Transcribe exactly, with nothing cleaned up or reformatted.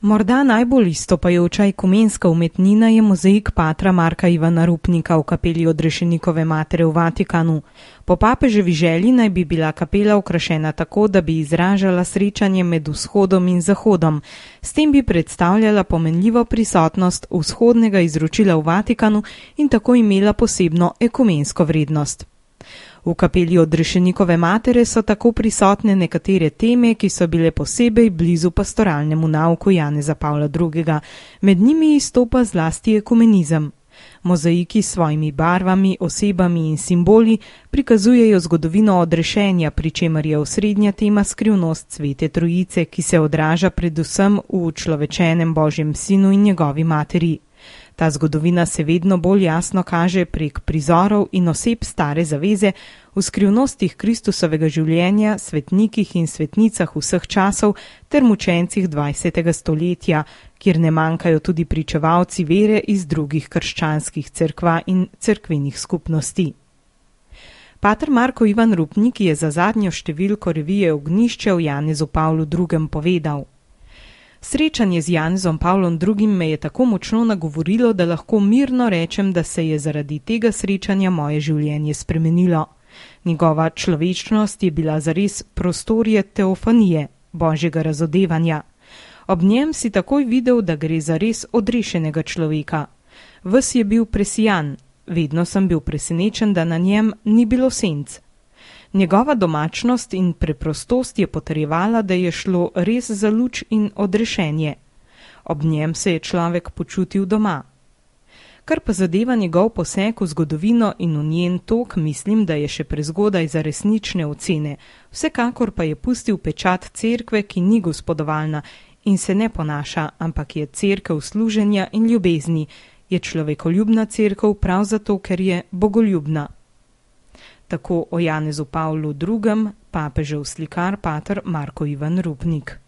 Morda najbolj izstopajoča ekumenska umetnina je mozaik patra Marka Ivana Rupnika v kapeli Odrešenikove matere v Vatikanu. Po papeževi želji naj bi bila kapela okrašena tako, da bi izražala srečanje med vzhodom in zahodom. S tem bi predstavljala pomenljivo prisotnost vzhodnega izročila v Vatikanu in tako imela posebno ekumensko vrednost. V kapeli Odrešenikove matere so tako prisotne nekatere teme, ki so bile posebej blizu pastoralnemu nauku Janeza Pavla drugega. Med njimi izstopa zlasti ekumenizem. Mozaiki s svojimi barvami, osebami in simboli prikazujejo zgodovino odrešenja, pri čemer je osrednja tema skrivnost Svete Trojice, ki se odraža predvsem v človečenem Božjem sinu in njegovi materi. Ta zgodovina se vedno bolj jasno kaže prek prizorov in oseb stare zaveze, v skrivnostih Kristusovega življenja, svetnikih in svetnicah vseh časov ter mučencih dvajsetega stoletja, kjer ne manjkajo tudi pričevalci vere iz drugih krščanskih cerkva in cerkvenih skupnosti. Pater Marko Ivan Rupnik je za zadnjo številko revije Ognjišče v Janezu Pavlu drugem povedal: Srečanje z Janezom Pavlom drugim me je tako močno nagovorilo, da lahko mirno rečem, da se je zaradi tega srečanja moje življenje spremenilo. Njegova človečnost je bila zares prostorje teofanije, božjega razodevanja. Ob njem si takoj videl, da gre za res odrešenega človeka. Ves je bil presijan, vedno sem bil presenečen, da na njem ni bilo senc. Njegova domačnost in preprostost je potrjevala, da je šlo res za luč in odrešenje. Ob njem se je človek počutil doma. Kar pa zadeva njegov poseg v zgodovino in v njen tok, mislim, da je še prezgodaj za resnične ocene. Vsekakor pa je pustil pečat cerkve, ki ni gospodovalna in se ne ponaša, ampak je cerkev služenja in ljubezni. Je človekoljubna cerkev prav zato, ker je bogoljubna. Tako o Janezu Pavlu drugem, papežev slikar pater Marko Ivan Rupnik.